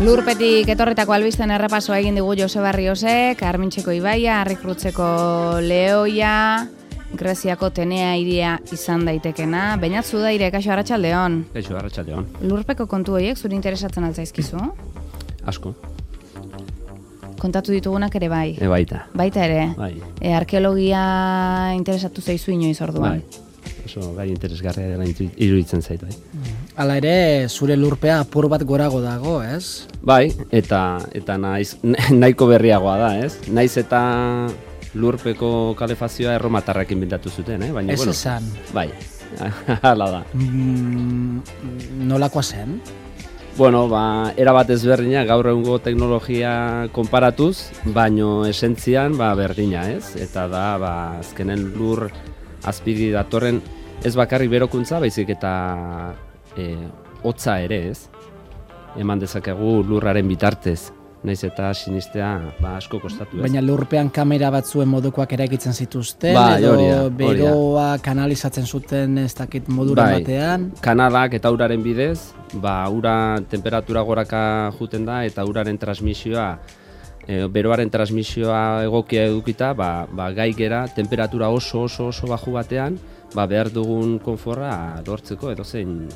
Lurpetik etorritako albisten errepasoa egin digu Joseba Riosek, Armintxeko ibaia, Arrikrutzeko lehoia, Greziako Tenea iria izan daitekena. Beñatzu da ire, kaixo arratsaldeon. Kaixo arratsaldeon. Lurpeko kontu horiek zuri interesatzen altzaizkizu? Asko. Kontatu ditugunak ere bai. Baita. Baita ere. Bai. Arkeologia interesatu zaizu inoiz orduan. Bai. Oso gai interesgarria dela iruditzen zait, bai. Hala ere, zure lurpea apur bat gorago dago, ez? Bai, eta nahiko berriagoa da, ez? Naiz eta lurpeko kalefazioa erromatarrak inventatu zuten, baina ez esan. Bai, hala da. Nolakoa zen? Bueno, erabat ezberdina gaur egungo teknologia konparatuz, baino esentzian berdina, ez? Eta da, azkenen lur azpigi datorren ez bakarrik berokuntza, baizik eta hotza ere, ez? Eman dezakegu lurraren bitartez, naiz eta sinistea asko kostatu, ez? Baina lurpean kamera batzuen modukoak eraikitzen zituzten, edo beroa kanalizatzen zuten ez dakit moduren batean. Kanalak eta uraren bidez, ura temperatura goraka juten da eta uraren transmisioa, beroaren transmisioa egokia edukita, gai gera temperatura oso baju batean, behar dugun konforra lortzeko edozein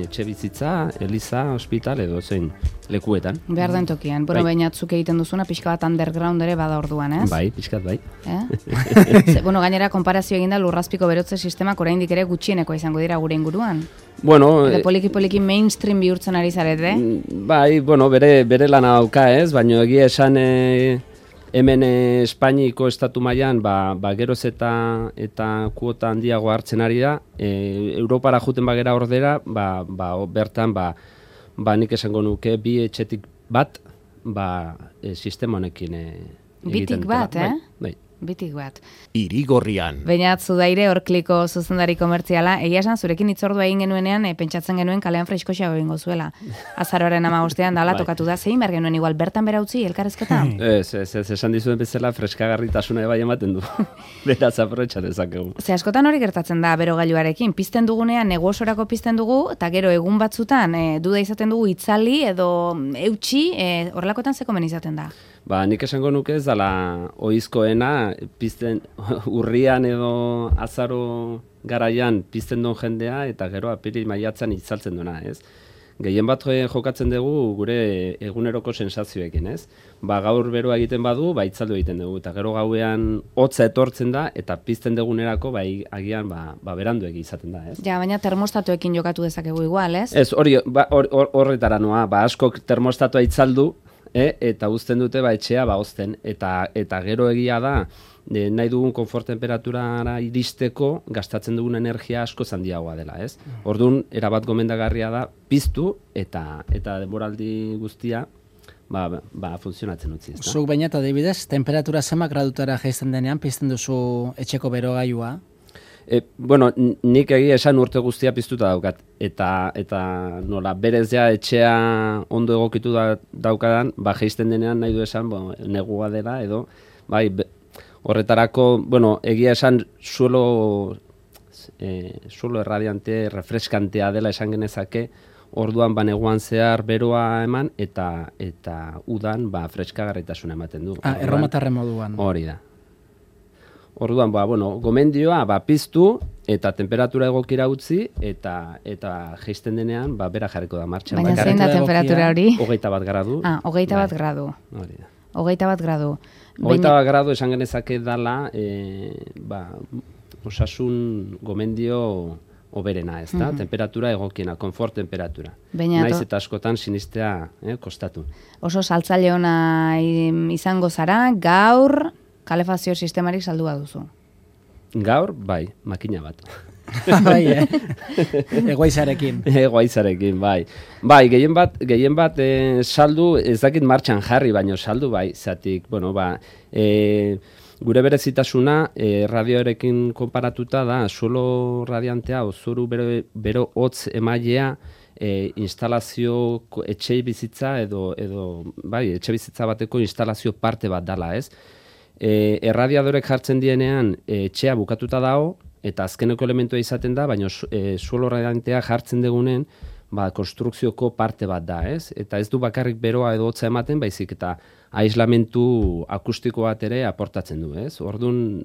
etxe bizitza, eliza, hospital, edozein lekuetan. Behar den tokian. Bainatzuk egiten duzuna, pixka bat underground ere bada orduan, ez? Bai, pixkat bai. Gainera, konparazio eginda lurrazpiko berotze sistemak oraindik ere gutxieneko izango dira gure inguruan. Poliki mainstream bihurtzen ari zarete? Bai, bere lana dauka, ez? Baina egia esan hemen Espainiko estatu mailan geroz eta kuota handiago hartzen ari da. Europara juten bagera ordera, bertan nik esango nuke bi etxetik bat sistema honekin egiten. Bitik bat, Bai. Bitik bat. Irigorrian. Beñatzu daire Orkliko zuzendari komertziala. Egia esan zurekin hitzordua egin genuenean, pentsatzen genuen kalean freskoxa egingo zuela. Azaroaren 15ean dala tokatu da, zein behar genuen igual bertan bera utzi elkarrezketa? Ez, esan dizuen bezala freskagarritasuna bai ematen du. Beraz aprobetxa dezakegu. Ze askotan hori gertatzen da berogailuarekin, pizten dugunean negosorako pizten dugu, eta gero egun batzutan duda izaten dugu itzali edo eutxi, horrelakotan ze komen izaten da? Nik esango nuke ez dela oizkoena, pizten urrian edo azaro garaian pizten duen jendea, eta gero apiril maiatzan itzaltzen duena, ez? Gehien bat jokatzen dugu gure eguneroko sensazioekin, ez? Gaur beroa egiten badu, itzaldu egiten dugu, eta gero gauean hotza etortzen da, eta pizten dugunerako, agian berandu izaten da, ez? Ja, baina termostatuekin jokatu dezakegu igual, ez? Ez, horretara noa, askok termostatua itzaldu, eta uzten dute etxea ozten, eta gero egia da, nahi dugun konfort temperaturara iristeko gastatzen dugun energia asko handiagoa dela, ez? Orduan, erabat gomendagarria da, piztu eta denboraldi guztia funtzionatzen utzi, ez da? Zuk baina eta adibidez, temperatura zenbat gradutara jaisten denean, pizten duzu etxeko berogailua? Nik egia esan urte guztia piztuta daukat, eta nola berez ja etxea ondo egokitu daukadan, jaisten denean nahi du esan negua dela, edo, horretarako, egia esan suelo erradiante, refreskantea dela esan genezake, orduan neguan zehar beroa eman, eta udan freskagarritasuna ematen du. Erromatarren moduan. Hori da. Orduan, gomendioa, piztu, eta temperatura egokira utzi, eta jaisten denean, bera jarriko da martxan. Baina zein da temperatura hori? 21 gradu. 21 gradu. Hori da. 21 gradu. 21 gradu esan genezake dala, osasun gomendio oberena, ez da? Temperatura egokiena, konfort temperatura. Naiz eta askotan sinistea kostatu. Oso saltzaile ona izango zara, gaur kalefazio sistemarik saldua duzu. Gaur, makina bat. Egoizarekin. Egoizarekin, gehien bat saldu, ez dakit martxan jarri, baino saldu, zatik, gure berezitasuna radioarekin konparatuta da, suelo radiantea, zoru bero hotz emailea, instalazio etxe bizitza edo etxe bizitza bateko instalazio parte bat dala, ez? Erradiadorek jartzen dienean etxea bukatuta dago, eta azkeneko elementua izaten da, baina suelo radiantea jartzen degunen, konstrukzioko parte bat da, ez? Eta ez du bakarrik beroa edo hotza ematen, baizik eta aislamentu akustiko bat ere aportatzen du, ez? Orduan,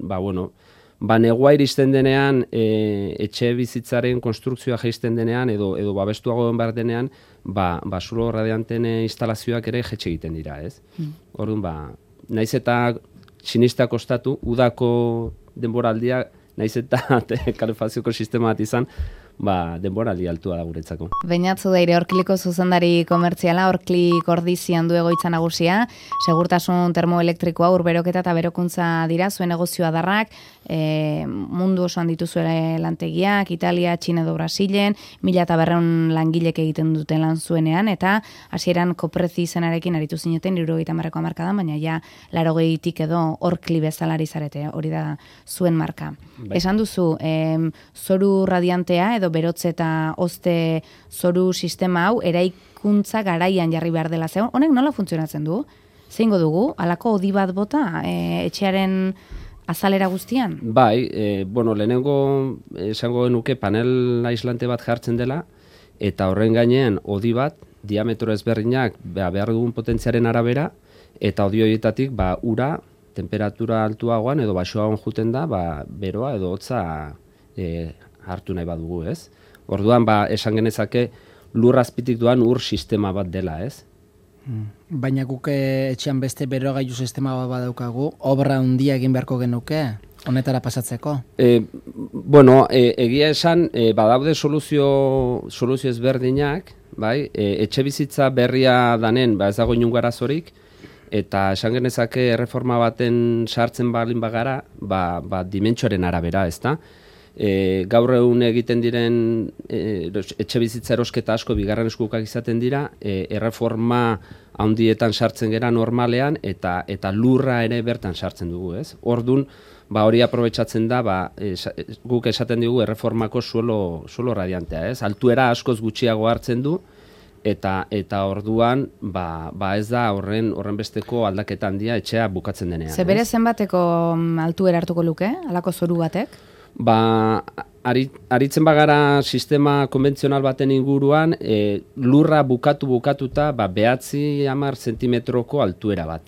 negua iristen denean, etxe bizitzaren konstrukzioa jaisten denean, edo babestuago behar denean, zulo radianten instalazioak ere jetxe egiten dira, ez? Orduan, naiz eta sinistea kostatu, udako denboraldia, naiz eta kalefazioko sistema bat izan, denboraldi altua da guretzako. Beñatzu Deire, Orkliko zuzendari komertziala, Orklik ordizian du egoitza nagusia, segurtasun termoelektrikoa, urberoketa eta berokuntza dira, zuen negozioa darrak, mundu osoan dituzuele lantegiak, Italia, Txina edo Brasilen, 1.200 langilek egiten duten lan zuenean, eta hasieran koprezi izenarekin aritu zineten, 70ko hamarkadan, baina ja 80tik edo Orkli bezalari zarete, hori da zuen marka. Esan duzu, zoru radiantea edo berotze eta hozte zoru sistema hau eraikuntza garaian jarri behar dela zegoen. Honek nola funtzionatzen du? Zeingo dugu? Halako odi bat bota etxearen azalera guztian? Bai, lehenengo esango genuke panel aislante bat jartzen dela, eta horren gainean odi bat, diametro ezberdinak behar dugun potentziaren arabera, eta odi horietatik ura, temperatura altuagoan edo baxoagoan juten da, beroa edo hotza hartu nahi badugu, ez? Orduan, esan genezake lur azpitik doan ur sistema bat dela, ez? Baina guk etxean beste berogailu sistema bat badaukagu, obra handia egin beharko genuke, honetara pasatzeko? Egia esan, badaude soluzio ezberdinak, bai? Etxe bizitza berria danen, ez dago inungo arazorik, eta esan genezake erreforma baten sartzen balin bagara, dimentsioaren arabera, ezta? Gaur egun egiten diren etxe bizitza erosketa asko bigarren eskukak izaten dira, erreforma handietan sartzen gera normalean eta lurra ere bertan sartzen dugu, ez? Ordun, hori aprobetxatzen da, guk esaten dugu erreformako suelo radiantea, ez? Altuera askoz gutxiago hartzen du, eta orduan ez da horren besteko aldaketa handia etxea bukatzen denean. Bere zenbateko altuera hartuko luke, halako zoru batek? Aritzen bagara sistema konbentzional baten inguruan, lurra bukatuta 9-10 zentimetroko altuera bat.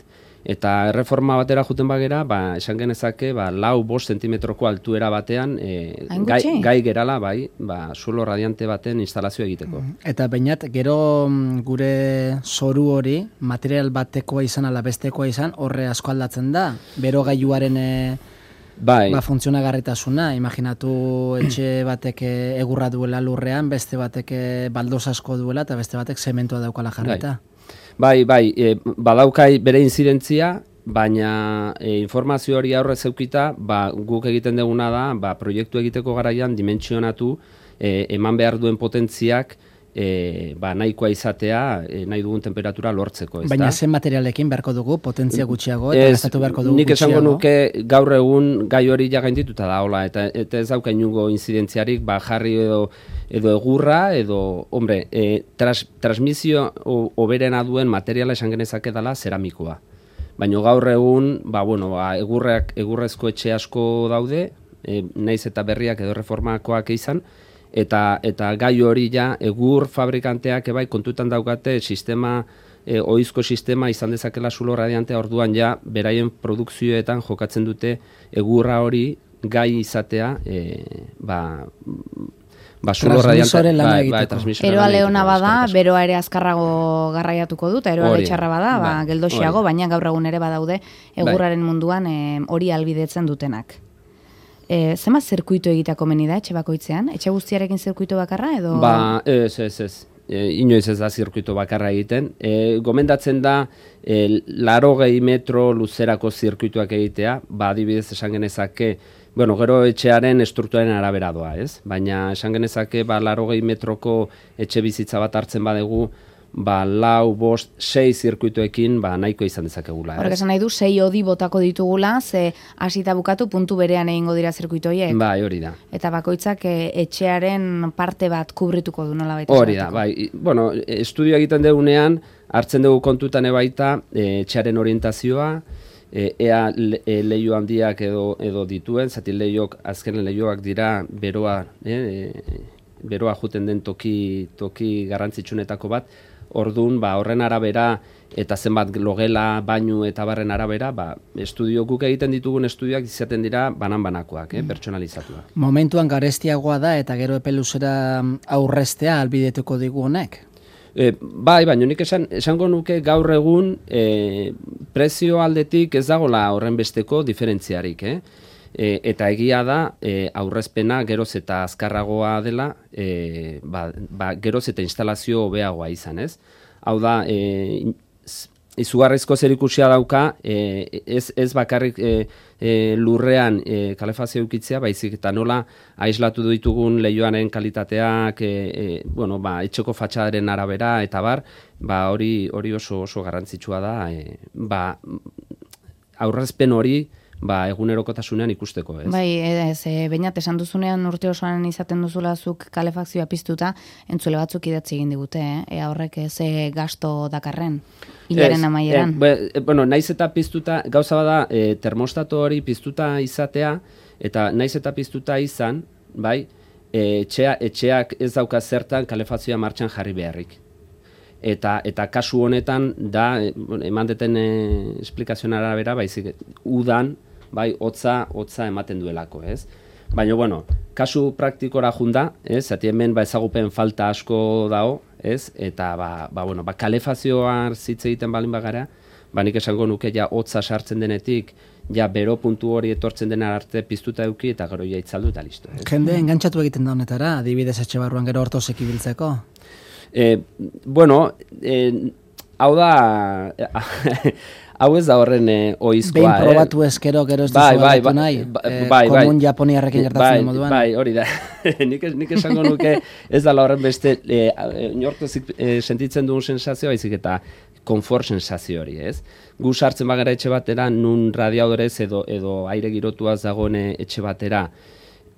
Eta erreforma batera juten bagera, esan genezake 4-5 zentimetroko altuera batean gai gerala, suelo radiante baten instalazio egiteko. Eta bainat, gero gure zoru hori, material batekoa izan ala bestekoa izan, horre asko aldatzen da, berogailuaren funtzionagarritasuna, imaginatu etxe batek egurra duela lurrean, beste batek baldoz asko duela, eta beste batek zementua daukala jarrita. Badaukai bere inzidentzia, baina informazio hori aurrez eukita, guk egiten duguna da, proiektu egiteko garaian dimentsionatu, eman behar duen potentziak, nahikoa izatea, nahi dugun temperatura lortzeko. Baina zen materialekin beharko dugu, potentzia gutxiago, eta gastatu beharko dugu gutxiago? Nik esango nuke gaur egun gai hori gaindituta da, hola, eta ez dauka inungo inzidentziarik, jarri edo egurra, edo, transmisio oberena duen materiala esan genezake dela zeramikoa. Baina gaur egun, egurrezko etxe asko daude, naiz eta berriak edo reformakoak izan, eta gai hori egur fabrikanteak kontutan daukate sistema, ohizko sistema izan dezakela zulo radiantea, orduan beraien produkzioetan jokatzen dute egurra hori gai izatea, transmisoren lana egiteko. Eroa leona bada, beroa ere azkarrago garraiatuko dut, eroa txarra bada, geldoxiago, baina gaur egun ere badaude egurraren munduan hori albidetzen dutenak. Zema zirkuitu egitako meni da etxe bakoitzean? Etxe guztiarekin zirkuitu bakarra edo? Ez. Inoiz ez da zirkuitu bakarra egiten. Gomendatzen da 80 metro luzerako zirkuituak egitea, adibidez esan genezake, gero etxearen estrukturaren arabera doa, ez? Baina esan genezake 80 metroko etxe bizitza bat hartzen badegu, 4, 5, 6 zirkuituekin nahiko izan dezakegula. Horrek esan nahi du, 6 odi botako ditugula, ze hasita bukatu puntu berean egingo dira zirkuitoiek. Hori da. Eta bakoitzak etxearen parte bat kubrituko du nola baita. Hori da, estudio egiten dugunean, hartzen dugu kontutan ebaita etxearen orientazioa, ea leiho handiak edo dituen, zati azkenen leihoak dira beroa beroa juten den toki garrantzitsunetako bat. Orduan, horren arabera eta zenbat logela, bainu eta barren arabera, estudio guk egiten ditugun estudioak izaten dira banan-banakoak, pertsonalizatuak. Momentuan garestiagoa da eta gero epe luzera aurreztea albidetuko digu honek? Baina nik esango nuke gaur egun prezio aldetik ez dagoela horren besteko diferentziarik, eta egia da aurrezpena geroz eta azkarragoa dela, geroz eta instalazio hobeagoa izan, ez? Hau da, izugarrizko zerikusia dauka, ez bakarrik lurrean kalefazio eukitzea, baizik eta nola aislatu ditugun leihoaren kalitateak, etxeko fatxadaren arabera, eta hori oso garrantzitsua da, aurrezpen hori, egunerokotasunean ikusteko, ez? Bai, bainat esan duzunean urte osoan izaten duzula zuk kalefakzioa piztuta, entzule batzuk idatzi egin digute, ea horrek ze gasto dakarren, hilaren amaieran. Naiz eta piztuta, gauza bada, termostato hori piztuta izatea, eta naiz eta piztuta izan, bai, etxeak ez dauka zertan kalefazioa martxan jarri beharrik. Eta kasu honetan da, eman deten esplikazioan arabera, baizik, udan, bai, hotza ematen duelako, ez? Baina, kasu praktikora junda, ez? Zati hemen ezagupen falta asko dago, ez? Eta, kalefazioa zitze egiten balin bagara, nik esango nuke ja hotza sartzen denetik, ja bero puntu hori etortzen dena arte piztuta eduki, eta gero ja itzaldu eta listo, ez? Jende engantzatu egiten da honetara, adibidez etxe barruan gero hortozek ibiltzeko? Hau da, hau ez da horren oizkoa. Behin probatu ezkero gero ez duzu aldatu nahi, komun japoniarrekin gertatzen moduan. Bai, hori da. Nik esango nuke ez da horren beste, inortozik sentitzen dugun sensazioa, baizik eta konfort sensazio hori, ez? Gu sartzen bagara etxe batera, nun radiadorez edo aire girotuaz dagoen etxe batera,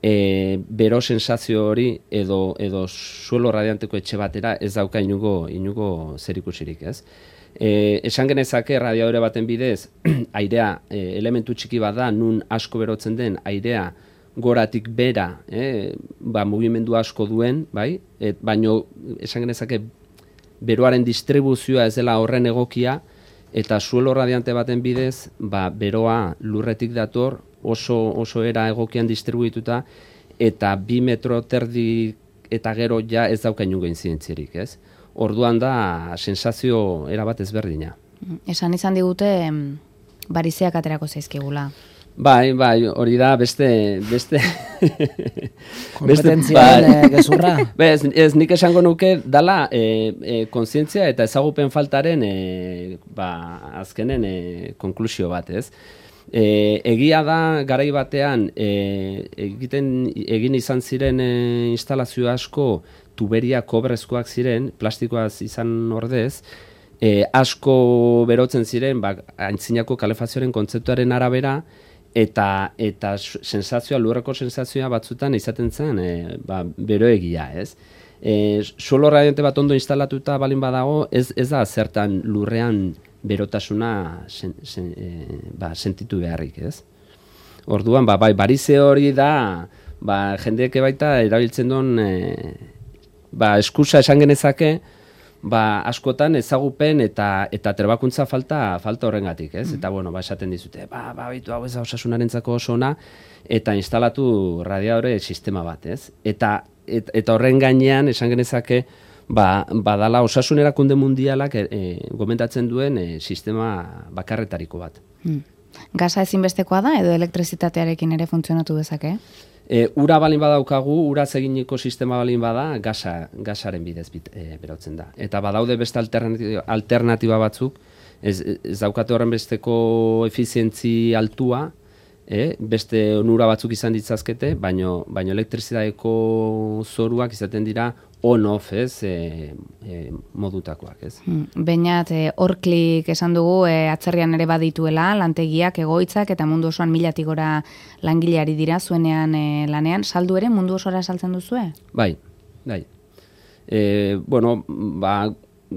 bero sensazio hori edo suelo radianteko etxe batera ez dauka inugo zerikusirik, ez? Esan genezake radiadore baten bidez, airea elementu txiki bat da, nun asko berotzen den airea goratik bera, mugimendu asko duen, bai? Baina esan genezake beroaren distribuzioa ez dela horren egokia, eta suelo radiante baten bidez, beroa lurretik dator, oso era egokian distribuituta, eta 2 metro terdi eta gero ja ez dauka inungo inzidentzierik, ez? Orduan da sensazio erabat ezberdina. Esan izan digute barizeak aterako zaizkigula. Bai, hori da beste kompetentziaren gezurra. Ez nik esango nuke dala kontzientzia eta ezagupen faltaren azkenen konklusio bat, ez? Egia da garai batean egin izan ziren instalazio asko tuberia kobrezkoak ziren, plastikoaz izan ordez, asko berotzen ziren aintzinako kalefazioaren kontzeptuaren arabera, eta sensazioa, lurreko sensazioa batzutan izaten zen beroegia, ez? Suelo radiante bat ondo instalatuta balin badago, ez da zertan lurrean berotasuna sentitu beharrik, ez? Orduan, barize hori da, jendeek baita erabiltzen duen, eskusa esan genezake, askotan ezagupen eta trebakuntza falta horrengatik, ez? Eta, esaten dizute, baitu hau ez da osasunarentzako oso ona, eta instalatu radiadore sistema bat, ez? Eta horren gainean, esan genezake, badala osasun erakunde mundialak gomendatzen duen sistema bakarretariko bat. Gaza ezinbestekoa da edo elektrizitatearekin ere funtzionatu dezake? Ura balin badaukagu, uraz eginiko sistema balin bada, gasaren bidez berotzen da. Eta badaude beste alternatiba batzuk, ez daukate horren besteko efizientzi altua, beste onura batzuk izan ditzazkete, baino elektrizitateko zoruak izaten dira on-off, modutakoak, ez? Beñat, Orklik esan dugu, atzerrian ere badituela, lantegiak, egoitzak, eta mundu osoan 1000 gora langileari dira zuenean lanean. Saldu ere mundu osora saltzen duzue? Bai.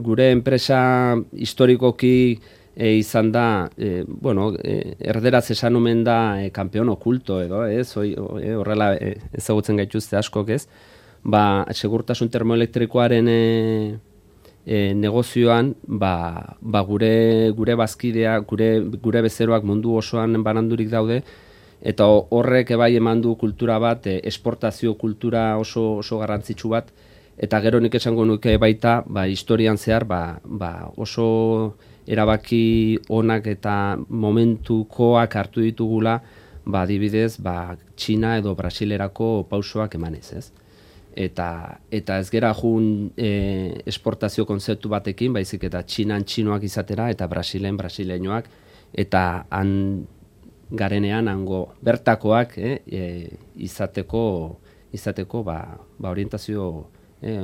Gure enpresa historikoki izan da, erderaz esan omen da kampeon okulto edo, horrela ezagutzen gaituzte askok, ez? segurtasun termoelektrikoaren negozioan, gure bazkidea, gure bezeroak mundu osoan banandurik daude, eta horrek ebai eman du kultura bat, esportazio kultura oso garrantzitsu bat, eta gero nik esango nuke baita, historian zehar, oso erabaki onak eta momentukoak hartu ditugula, adibidez, Txina edo Brasilerako pausoak emanez, ez? Eta ez gera jun esportazio konzeptu batekin, baizik eta Txinan txinoak izatera, eta Brasilen brasileñoak, eta han garenean hango bertakoak izateko orientazio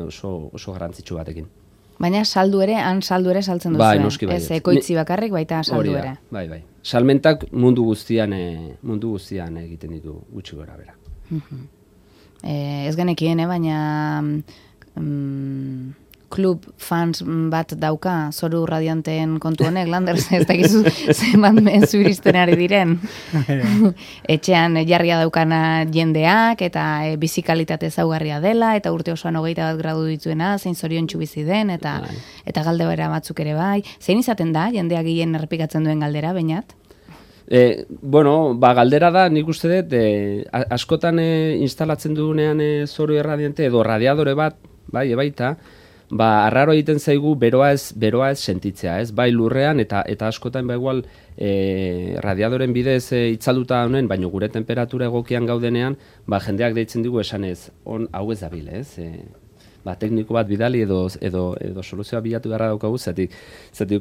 oso garrantzitsu batekin. Baina saldu ere saltzen duzu. Bai, noski bai. Ez ekoitzi bakarrik, baita saldu ere. Bai. Salmentak mundu guztian egiten ditu gutxi gora bera. Ez genekien, baina klub fans bat dauka Zoru Radianteen kontu honek, Landers, ez dakizu zenbat mezu iristen ari diren. Etxean jarria daukana jendeak, eta bizikalitate ezaugarria dela, eta urte osoan 21 gradu dituena, zein zoriontsu bizi den, eta galde bera batzuk ere bai. Zein izaten da, jendeak gehien errepikatzen duen galdera, Beñat? Galdera da, nik uste dut, askotan instalatzen dugunean Zoru Erradiante edo radiadore bat, baita, arraro egiten zaigu beroa ez sentitzea, ez? Bai lurrean eta askotan igual radiadoren bidez itzalduta honen, baina gure temperatura egokian gaudenean, jendeak deitzen digu esanez, hau ez dabil, ez? Tekniko bat bidali edo soluzioa bilatu beharra daukagu, zatik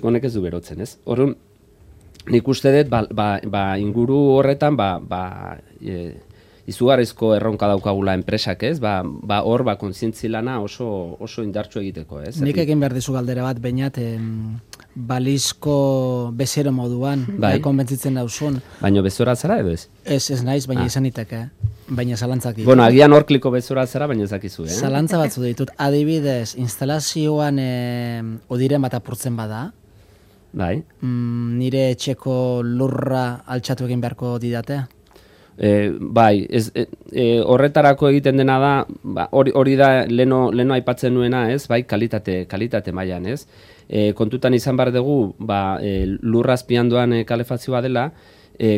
honek ez du berotzen, ez? Horren, nik uste dut, inguru horretan, izugarrizko erronka daukagula enpresak, ez? Hor, kontzientzi lana oso indartsu egiteko, ez? Nik egin behar dizu galdera bat, Beñat, balizko bezero moduan, konbentzitzen dauzun. Baina bezora zara edo ez? Ez naiz, baina izan iteke, baina zalantzak ditu. Agian horkliko bezora zara, baina ezakizu, Zalantza batzu ditut, adibidez, instalazioan odiren bat apurtzen bada, nire etxeko lurra altxatu egin beharko didate? Horretarako egiten dena da, hori da leno aipatzen nuena, ez? Kalitate mailan, ez? Kontutan izan behar dugu, lurra azpian doan kalefazioa dela,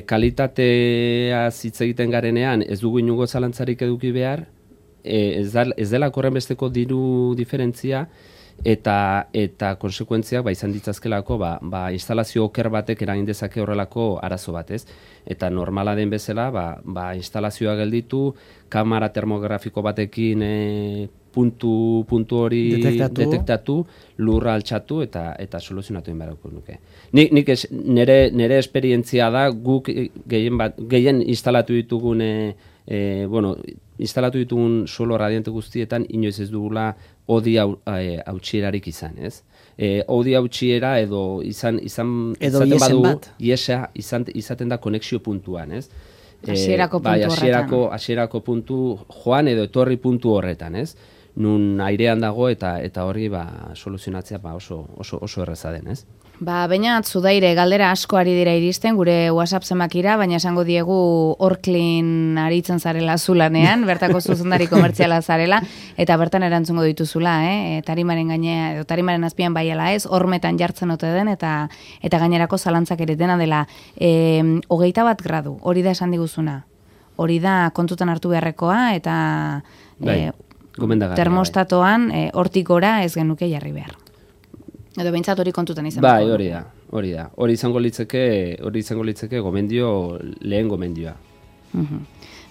kalitatea hitz egiten garenean ez dugu inungo zalantzarik eduki behar, ez dela korren besteko diru diferentzia, eta konsekuentziak izan ditzazkelako instalazio oker batek eragin dezake horrelako arazo bat, ez? Eta normala den bezala, instalazioa gelditu, kamera termografiko batekin puntu hori detektatu, lurra altxatu eta soluzionatu egin beharko nuke. Nik nire esperientzia da, guk gehien instalatu ditugun solo radiante guztietan inoiz ez dugula odi hautsierarik izan, ez? Odi hautsiera edo izaten badu iesa izaten da konexio puntuan, ez? Hasierako puntu horretan. Hasierako puntu joan edo etorri puntu horretan, ez? Nun airean dago eta hori soluzionatzea oso erraza den, ez? Beñat, Zudaire, galdera asko ari dira iristen, gure WhatsApp zenbakira, baina esango diegu Orklin aritzen zarela zulanean, bertako zuzendari komertziala zarela, eta bertan erantzungo dituzula, tarimaren gainea, edo tarimaren azpian baiela ez, hormetan jartzen ote den, eta gainerako zalantzak ere dena dela. 21 gradu, hori da esan diguzuna. Hori da kontutan hartu beharrekoa, eta termostatoan hortik gora ez genuke jarri behar. Edo behintzat hori kontutan izan. Hori da. Hori izango litzeke lehen gomendioa.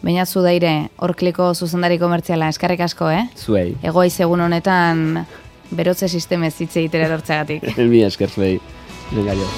Beñat, Zudaire, Orkliko zuzendari komertziala, eskerrik asko, Zuei. Egoiz egun honetan berotze sistemez hitz egitera dortzagatik. Mi esker zuei. Venga jo.